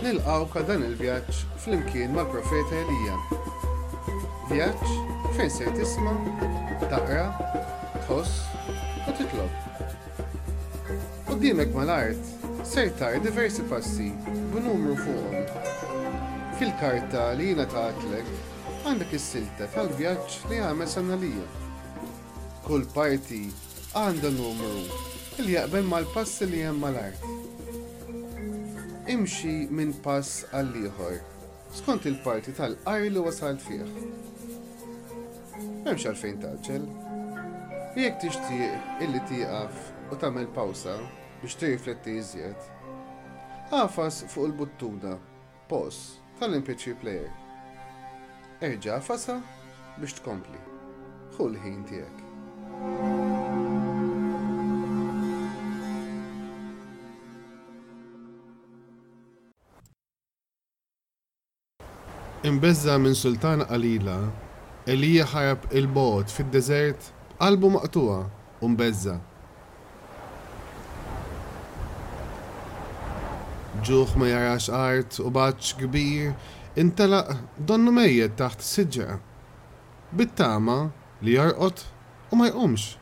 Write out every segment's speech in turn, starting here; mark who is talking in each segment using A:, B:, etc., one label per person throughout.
A: Nilqgħuk għal dan il-vjaġġ flimkien mal-profeta Elija. Vjaġġ fejn ser tisma', taqra, tħoss u titlob. Quddiemek mal-art ser tara diversi passi b'numru fuqhom. Fil-karta li jiena tagħtlek għandek is-silta tal-vjaġġ li għamel San Elija. Kull parti għandha numru li jaqbel mal-passi li hemm mal-art. Imxi minn pass għall-ieħor skont il-parti tal-qari li wasalt fih. M'hemmx għalfejn tgħaġġel. U jekk tixtieq illi tieqaf u tagħmel pawsa biex tirrifletti iżjed, agħfas fuq il-buttuna Pause tal-MP3 player. Erġa' agħfasha biex tkompli. Ħu l-ħin tiegħek. Imbeżża' minn sultana qalila, Elija ħarab 'il bogħod fid-deżert b'qalbu maqtugħa u mbeżża'. B'ġuħ ma jarax art u b'għatx kbir intelaq donnu mejjet taħt siġra, bit-tama li jorqod u ma jqumx.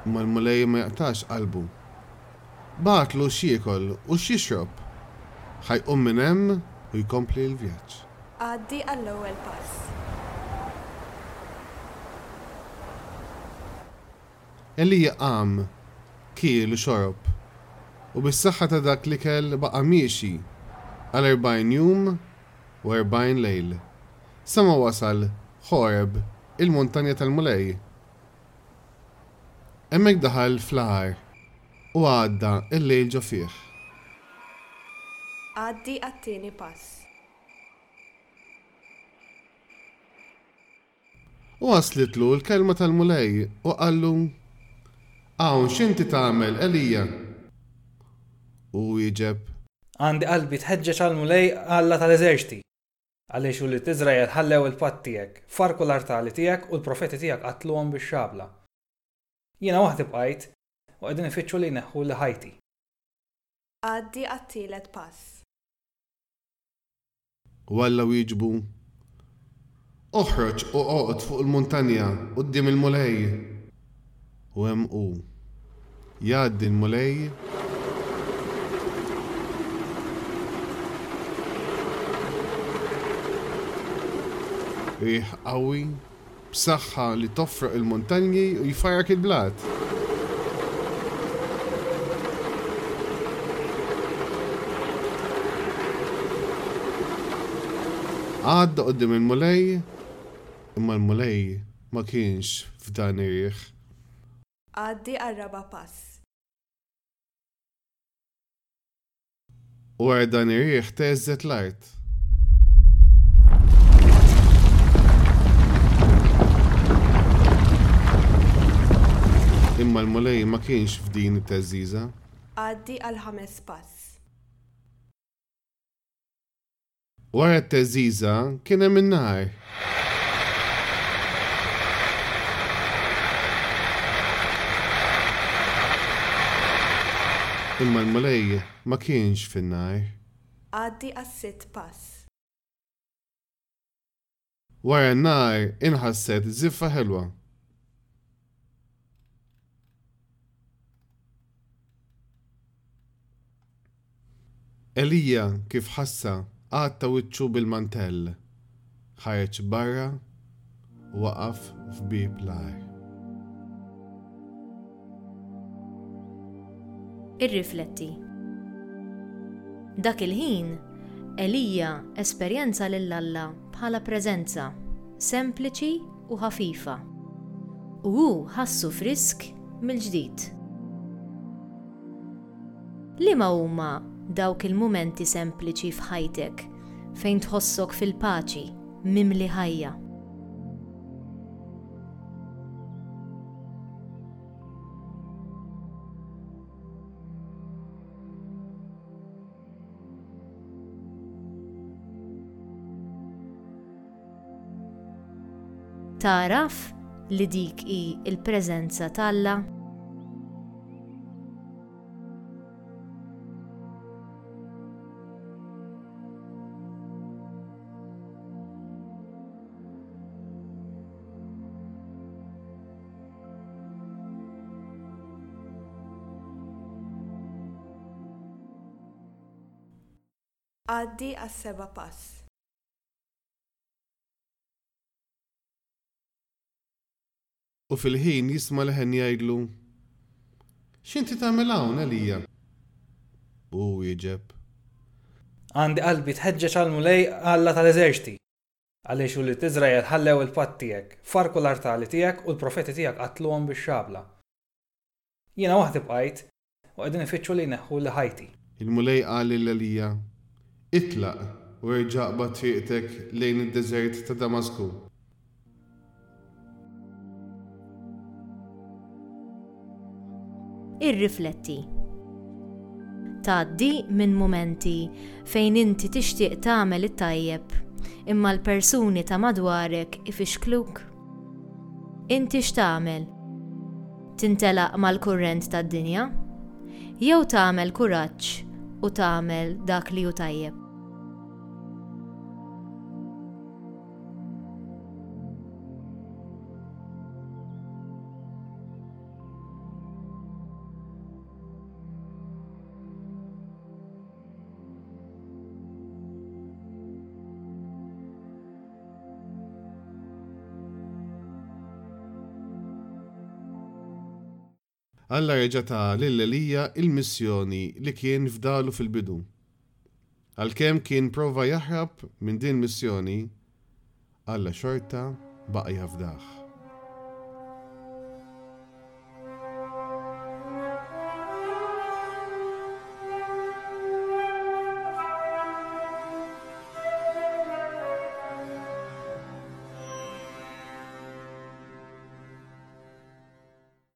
A: Imma l-Mulej ma jaqtax qalbu. Bagħatlu x'jiekol u x'jixrob. Ħa jqum minn hemm u jkompli l-vjaġġ.
B: Għaddi għall-ewwel pass.
A: Elija qam, kiel u xorob, u bis-saħħa ta' dak l-ikel baqa' miexi għal 40 jum u 40 lejl, sa ma wasal Ħoreb, il-muntanja tal-Mulej. Hemmhekk daħal fl-għar u għadda l-lejl ġo fih.
B: Għaddi għat-tieni pass.
A: U waslitlu l-kelma tal-Mulej u qallu, Hawn x'inti tagħmel, Elija? U hu wieġeb.
C: Għandi qalbi tħeġġeġ għall-Mulej Alla tal-eżerċti. Għaliex ulied Iżrael ħallew il-patt tiegħek, farrku l-artali tiegħek u l-profeti tiegħek qatluhom bix-xabla. Jiena waħdi bqajt, u qegħdin ifittxu li jneħħuli ħajti.
B: Għaddi għat-tielet pass.
A: U Alla wieġbu, Oħroġ u oqgħod fuq il-muntanja quddiem il-Mulej. U hemm hu. Jgħaddi l-Mulej. Riħ qawwi, b'saħħa li tofroq il-muntanji u jfarrak il-blat. Għadda quddiem il-Mulej, imma l-Mulej ma kienx f'dan ir-riħ.
B: Għaddi għar-raba' pass.
A: U wara dan ir-riħ theżżet l-art. Imma l-Mulej ma kienx f'din it-theżżiża.
B: Għaddi għall-ħames pass.
A: Wara t-theżżiża kien hemm in-nar. Imma l-Mulej ma kienx fin-nar.
B: Għaddi għas-sitt pass.
A: Wara n-nar inħasset żiffa ħelwa. Elija kif ħassha għatta wiċċu bil-mantell, ħareġ barra u waqaf f'bieb l-għar.
D: Irrifletti. Dak il-ħin, Elija esperjenza lil Alla bħala preżenza, sempliċi u ħafifa, u hu ħassu frisk mill-ġdid. Liema huma dawk il-mumenti sempliċi f'ħajtek fejn tħossok fil-paċi, mimli ħajja? Tagħraf? li dik hi l-preżenza t'Alla?
B: Għaddi għas-seba' pass.
A: U fil-ħin jisma' leħen jgħidlu, X'inti tagħmel hawn, Elija? U hu wieġeb.
C: Għandi qalbi tħeġġeġ għall-Mulej Alla tal-eżerċti, għaliex ulied Iżrael ħallew il-patt tiegħek, farrku l-artali tiegħek u l-profeti tiegħek qatluhom bix-xabla. Jiena waħdi bqajt, u qegħdin ifittxu li jneħħuli ħajti.
A: Il-Mulej qal lil Elija, Itlaq u erġa' aqbad triqtek lejn id-deżert ta' Damasku.
D: Irrifletti. Tgħaddi minn mumenti fejn inti tixtieq tagħmel it-tajjeb imma l-persuni ta' madwarek ifixkluk? Inti x'tagħmel? Tintelaq mal-kurrent tad-dinja? Jew tagħmel kuraġġ u tagħmel dak li hu tajjeb?
A: Alla reġa' ta lil Elija l-missjoni li kien fdalu fil-bidu. Għalkemm kien prova jaħrab minn din il-missjoni, Alla xorta baqa' jafdah.